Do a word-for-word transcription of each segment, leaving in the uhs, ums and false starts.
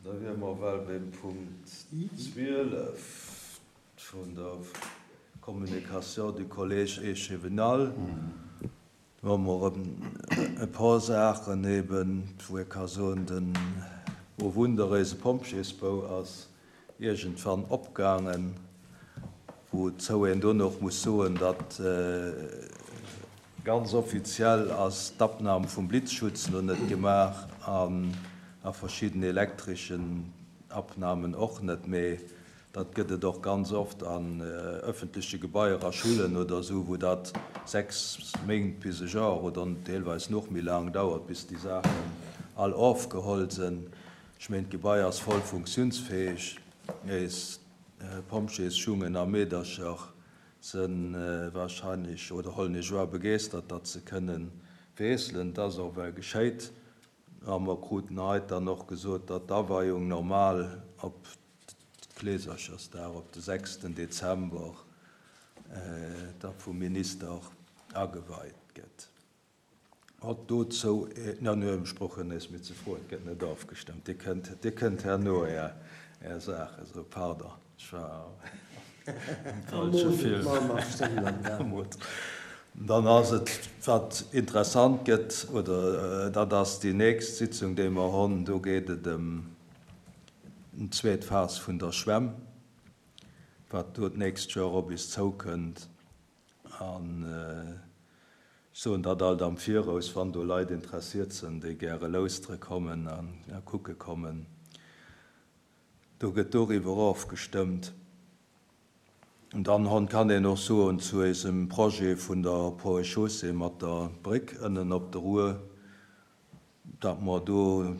Da wiere mer well beim Punkt zwielef vun der Communication du Collège échevinal. Do hu mer erëm e paar Saachen eben, wou ee ka soen, den O Wunder, eise Pompjeesbou ass iergendwann opgaangen, wouzou een do och muss soen, datt ganz offiziell ass d'Abnam vum Blitzschutz no net gemaach an a verschidden elektreschen Abnamen och net, mee dat gëtt et och ganz oft an öffentleche Gebaier, a Schullen oder esou, wou dat sechs Méint bis e Joer oder deelweis nach méi laang dauert, bis déi Saachen all ofgeholl sinn. Ech mengen, d'Gebai ass voll funktionsfähig. Eis Pompjeesjungen a Meedercher si wahrscheinlech oder hollen ech war begeeschtert, datt se kënnen wiesselen. Dat ass och well geschéit. A mer kruten haut dann och gesot, datt d'Aweiung normal op Kleeserchersdag, op de sechsten Dezember, da vum Minister ageweit gëtt. Haut dozou, na, no ech brauch nees méi ze froen, et gëtt net ofgestëmmt. Dir kënnt, Dir kënnt herno Är, Är Saache so, pardon, ech war am falsche Film. Dann ass et, wat interessant gëtt, oder dat ass déi nächst Sitzung, déi mer hunn, do geet et ëm d'zweet Phas vun der Schwämm, wat do d'nächst Joer op eis zoukënnt. An ech soen dat alt am Viraus, wann do Leit interessiert sinn, déi gäre lauschteren kommen a kucke kommen. Do gëtt doriwwer ofgestëmmt. An dann hon kann een och soen zu eisem Projet vun der Ponts et Chaussées mat der Bréck ënnen op der Our, datt mer do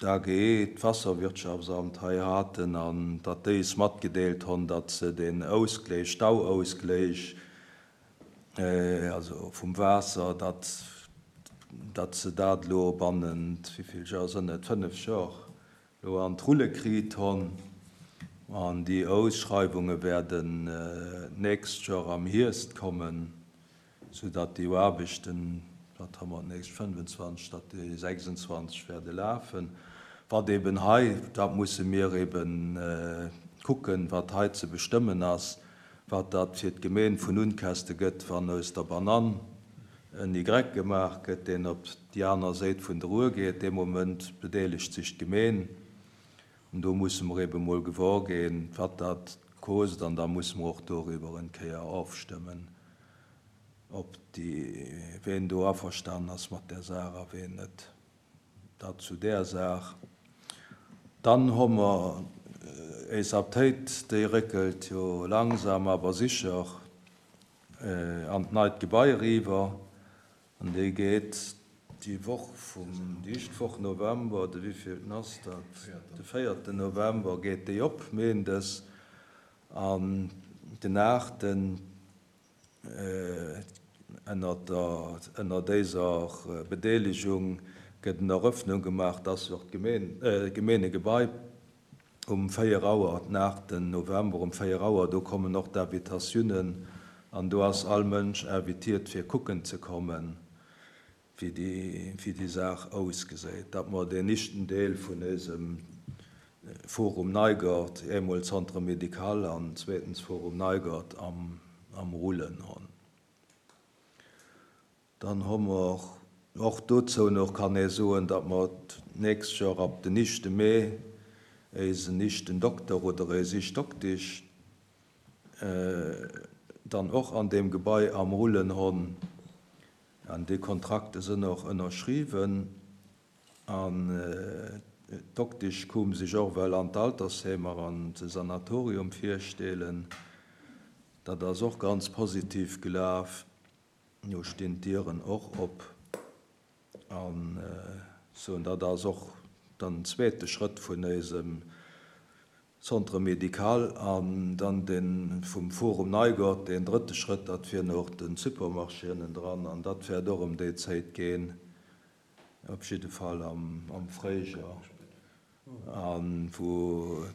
d'A G E, d'Wasserwirtschaftsamt hei haten an datt déi es matgedeelt hunn, datt se den Ausgleich, Stauausgleich, also vum Waasser, datt datt se dat elo bannent, wéi vill Joer sënn et, fënnef Joer, elo an d'Rulle kritt hunn. An déi Ausschreiwunge werden d'nächst Joer am Hierscht kommen, soudatt déi Aarbechten, wat hu mer d'nächst, fënnefenzwanzeg, datt déi sechsundzwanzeg werde lafen. Wat eben hei, dat musse mir eben kucken, wat hei ze bestëmmen ass, wat dat fir d'Gemeen vun Unkäschte gëtt, wann aus der Banann en Y gemaach gëtt, deen op déi aner Säit vun der Our geet. Dee Moment bedeelegt sech d'Gemeen. An do musse mer eben mol gewor ginn, wat dat kost, an da musse mer och doriwwer eng Kéier ofstëmmen, ob déi, ween do averstanen ass mat där Saach a ween net. Dat zu där Saach. Dann hu mer eis Aptéit, déi réckelt jo langsam awer sicher an d'neit Gebai eriwwer, an déi geet déi Woch vum, déi éischt Woch November, de wéivillten ass dat, de véierten November geet déi op, méindes, an den aachten ënner der, ënner déiser Bedeelegung gëtt en Eröffnung gemaach, dass och d'Gemeen, Gemeengebai um véier Auer, den aachten November um véier Auer, do kommen och d'Invitatiounen an do ass all Mënsch invitiert fir kucken ze kommen, wéi déi, wéi déi Saach ausgesäit. Datt mer deen éischten Deel vun eisem Forum Neigert, eemol Centre médical an zweetens Forum Neigert am, am Rullen hunn. Dann hu mer och dozou nach, kann ee soen, datt mer d'nächst Joer ab den éischte Mee eisen éischten Dokter oder eis éischt Doktesch dann och an deem Gebai am Rullen hunn. An déi Kontrakte sinn och ënnerschriwwen. An d'Doktesch koum sech och well an d'Altersheemer an de Sanatorium virstellen. Dat ass och ganz positiv gelaf. Do stinn d'Dieren och op. An soen, dat ass och dann den zweete Schrëtt vun eisem Centre médical. An dann dee vum Forum Neigert, deen drëtte Schrëtt, dat wier och de Supermarché ënnendran. An dat wäert och ëm déi Zäit ginn, op jidde Fall am, am Fréijoer, an wou,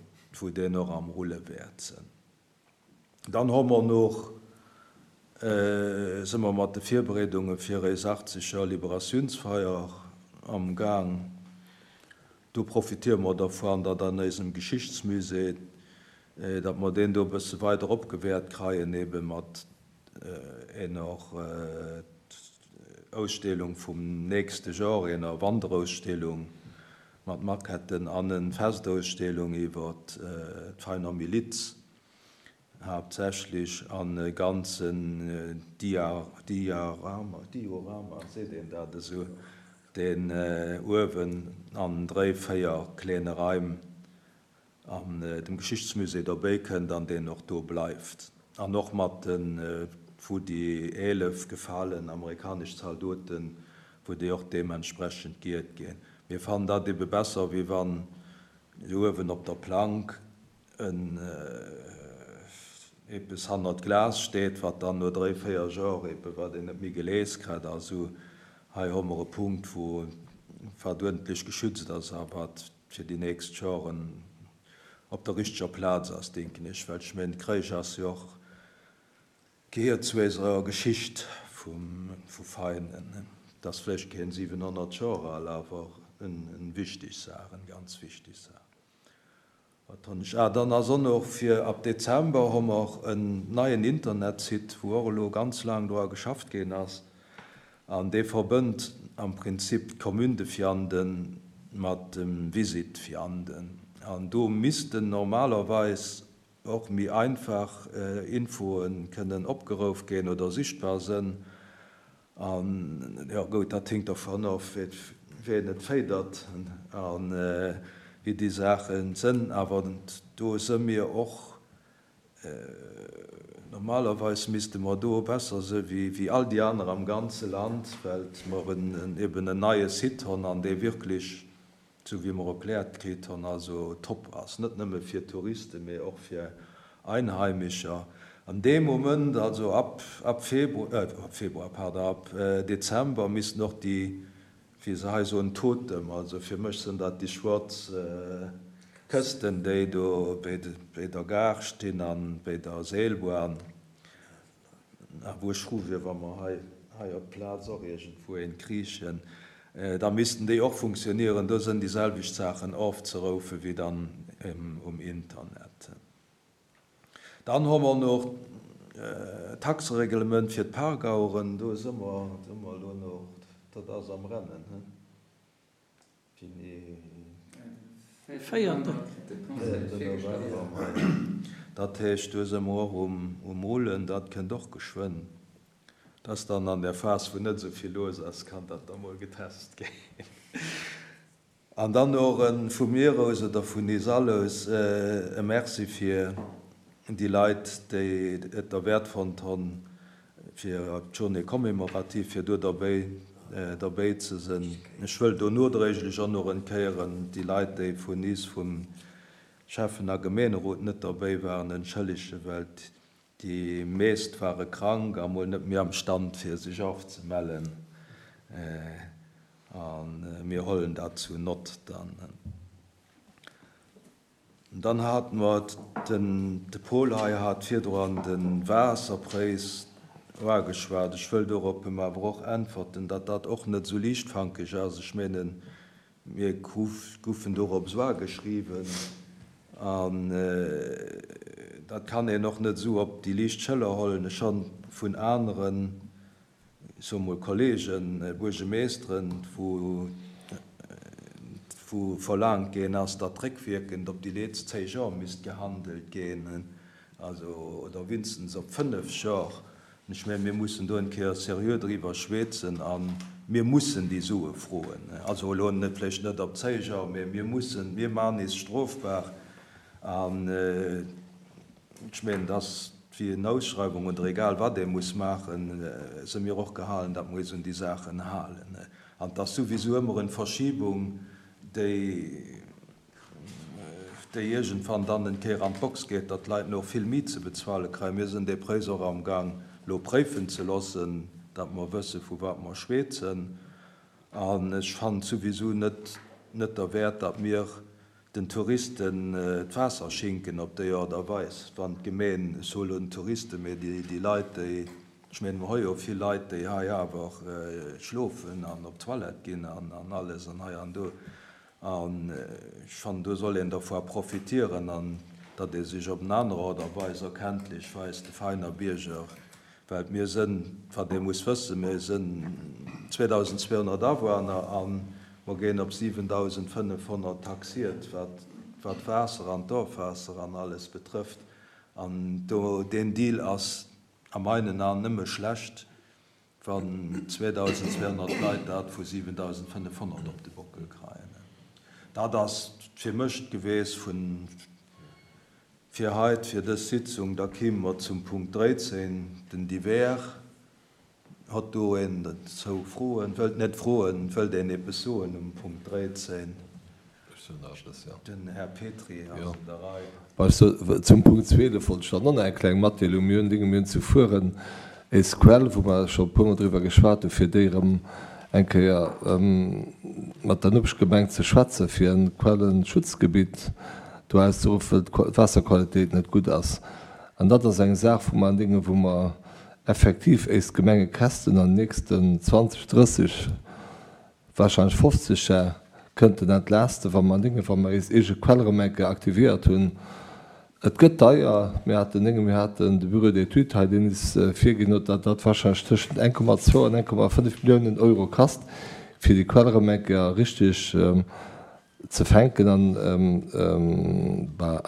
wou deen och am Rulle wäert sinn. Dann hu mer nach, si mer mat de Virbereedunge fir eis achtzeg Joer Liberatiounsfeier am Gang. Do profitiere mer dervun, datt an eisem Geschichtsmusée, datt mer deen do e bësse weider opgewäert kreien, ebe mat enger Ausstellung vum nächste Joer, enger Wanderausstellung mat Maquetten an en Festausstellung iwwer d'Veiner Miliz haaptsächlech an e ganzen Diorama, Diorama, seet een dat esou, deen uewen an dréi, véier kleene Raim an dem Geschichtsmusée derbäi kënnt an deen och do bleift. An och mat den, wou déi eelef gefalen amerikanesch Zaldoten, wou déi och deementsprechend geehrt ginn. Mir fannen dat ebe besser, wéi wann uewen op der Plank en eppes hannert Glas steet, wat dann no dréi, véier Joer ebe wat een net méi gelies kritt. Also hei hu mer e Punkt, wou wat uerdentlech geschützt ass a wat fir déi nächst Joren op der richteger Plaz ass, denken ech. Well ech mengen, Kréich ass jo och, gehéiert zu eiser Geschicht vum, vu Veinen. Et ass vläicht keen siwenhonnert Joer al, awer en wichteg Saach, en ganz wichteg Saach. Wat hunn ech? Ah, dann ass och nach fir ab Dezember hu mer en neien Internetsite, wou och elo ganz laang dra geschafft ginn ass. An dee verbënnt am Prinzip d'Commune de Vianden mat dem Visit Vianden. An do missten normalerweis och méi einfach Infoen kënnen opgeruff ginn oder sichtbar sinn. An jo gutt, dat hinkt dervun of, wien et féidert an wéi déi Saache sinn. Awer do si mir och, normalerweis misste mer do besser si wéi all déi aner am ganze Land, well mer eben en neie Site hunn an dee wierklech, sou wéi mer erkläert kritt hunn, also top ass, net nëmme fir Touristen, mee och fir Einheimischer. An deem Moment, also ab ab Februar, äh, ab Februar, pardon, ab Dezember missten och déi, wéi se hei soen, Totem, also fir mech sinn dat déi schwaarz Kësten, déi do béi béi der Gare stinn an béi der Seelbahn, a wou ech frou wier, wa mer hei hei op d'Plaz och iergendwou een kriichen, da missten déi och funktionieren. Do sinn déi selwecht Saachen ofzeroufen wéi dann um Internet. Dann hu mer nach d'Taxereglement fir d'Parkaueren. Do si mer, si mer elo nach, dat ass am Rennen, he? Wéini? Véierten. November. Dat heescht, do si mer och um Rullen, dat kënnt och geschwënn. Dat ass dann an der Phas, wou net esou vill los ass, kann dat da mol getest ginn. An dann och vu mir aus oder vun is all aus e Merci fir déi Leit, déi et derwäert fonnt hunn, fir d'Journée commémorative, fir do derbéi derbéi ze sinn. Ech wëll do nodréiglech och nach en Kéieren déi Leit, déi vun is vum Schäffen a Gemeenerot net derbéi waren, entschëllegen, well déi meest ware krank a mol net méi am Stand, fir sech ofzemellen. A mir hollen dat zu Nott dann. Dann hate mer, den de Paul hei hat virdrun de Waasserpréis uageschwat. Ech wëll dorop em awer och äntwerten, datt dat och net esou liichtfankeg ass. Ech mengen, mir goufen dorop esou ageschriwwen an dat kann een och net esou op déi liicht Schëller hollen. Ech hu vun aneren, ech soe mol Kollegen, Buergemeeschteren, wou wou verlaangt ginn ass, datt réckwierkend op déi leetzt zéi Jor misst gehandelt ginn, also oder winstens op fënnef Jor. An ech mengen, mir mussen do eng Kéier seriö driwwer schwätzen a mir mussen déi Sue froen. Also elo net vläicht net op zéi Jor, mä mir mussen, mir maachen eis strofbar. An ech mengen, et ass wéi en Ausschreiwung oder egal wat ee muss maachen, si mir och gehalen, datt mer eis un déi Saachen halen. An et ass souwisou ëmmer en Verschiebung, déi déi iergendwann dann en Kéier an d'Box geet, datt d'Leit no vill méi ze bezuale kréien. Mir sinn dee Préis och amgang elo préifen ze loossen, datt mer wësse vu wat mer schwätzen. An ech fannen et souwisou net net derwäert, datt mir den Touristen d'Waasser schinken op déi Aart a Weis, wann d'Gemeen, ech soe lo den Touristen, mee déi Leit, déi, ech mengen, mer hu jo vill Leit, déi hei awer schlofen an op d'Toilette ginn an alles an hei an do, An ech fannen, do soll een dervu profitieren an datt ee sech op en aner Aart a Weis erkenntlech weist, de Veiner Bierger, well mir sënn, wat ee muss wëssen, mir sënn zweedausendzweehonnert Awunner a mer géien op siwendausendfënnefhonnert taxiert, wat wat d'Waasser an d'Ofwaasser an alles betrëfft. An do, deen Deal ass a meinen Aen nëmme schlecht, wann zweedausendzweehonnert Leit dat vu siwendausendfënnefhonnert op de Bockel kreien. Dat ass fir mech d'Geweess vun fir heit, fir dës Sitzung. Da kime mer zum Punkt dréizéng, den Divers. Hott do een dozou Froen? Wëllt net froen, wëllt een eppes soen um Punkt dréizéng? Den Här Petry ass un der Rei. Zum Punkt zwielef wollt ech dann och nach eng kleng Matdeelung. Mir hunn Dinge, mir hunn zu Furen éis Quell, wou mer scho e puermol driwwer geschwat hunn, fir déi erëm eng Kéier mat der Nopeschgemeng ze schwätzen, fir e Quellenschutzgebitt do auszeruffen, well d'Waasserqualitéit net gutt ass. An dat ass eng Saach, wou mer an Dinge, wou mer effektiv éis Gemengekästen an den nächsten zwanzeg, drësseg, wahrscheinlech fofzeg Jar kënnten entlaasten, wa mer an Dinge, wa mer éis eege Quell erëm eng Kéier aktiviert hunn. Et gëtt deier. Mir haten Dinge, mir haten de Bureau d'études hei, deen is virginn huet, datt dat wahrscheinlech tëschent eng Komma zwou an eng Komma fënnef Milliounen Euro kasst, fir déi Quell erëm eng Kéier richtig ze fänken an, bah,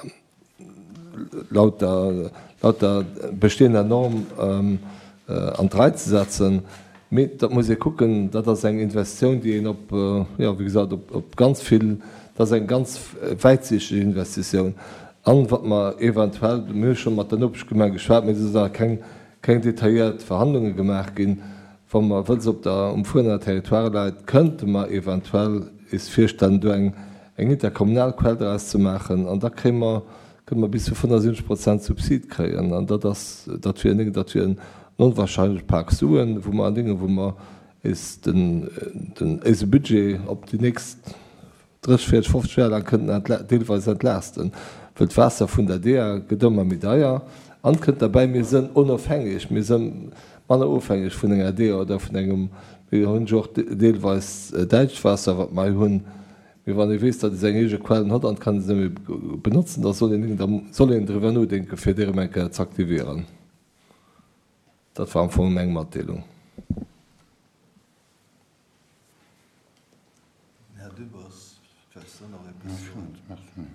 laut der, laut der bestehender Norm an d'Rei ze setzen. Mee dat muss ee kucken, dat ass eng Investitioun, déi een op, jo, wéi gesat, op, op ganz vill, dat ass eng ganz wäitsichteg Investitioun. An wat mer eventuell, mir hu scho mat der Nopeschgemeng geschwat, mee do sinn nach keng, keng detailléiert Verhandlunge gemaach ginn, wa mer, wëll se op der, um Fuerener Territoire läit, kënnte mer eventuell eis virstellen, do eng, eng interkommunal Quell draus ze maachen. An da kréie mer, kënne mer bis zu fënnefundsiwwenzeg Prozent Subsid kréien. An dat ass, dat wier, dat wier en onwahrscheinlech Pak Suen, wou mer an Dingen, wou mer eis den, den, eise Budget op déi nächst drësseg, véierzeg, fofzeg Joer laang kënnten entla-, deelweis entlaasten, well d'Waasser vun der D E A gëtt ëmmer méi deier. An kënnt derbäi, mir sënn onofhängeg, mir sënn manner ofhängeg vun enger D E A oder vun engem, mir hunn jo och deelweis däitscht Waasser, wat mer hei hunn. Mee wann ee weess, datt ee seng eege Quellen huet an kann se net méi benotzen, da soll een, da soll een driwwer nodenken, fir déi erëm eng Kéier z'aktivieren. Dat war am Fong meng Matdeelung. Här Dübbers, wëlls de nach eppes soen?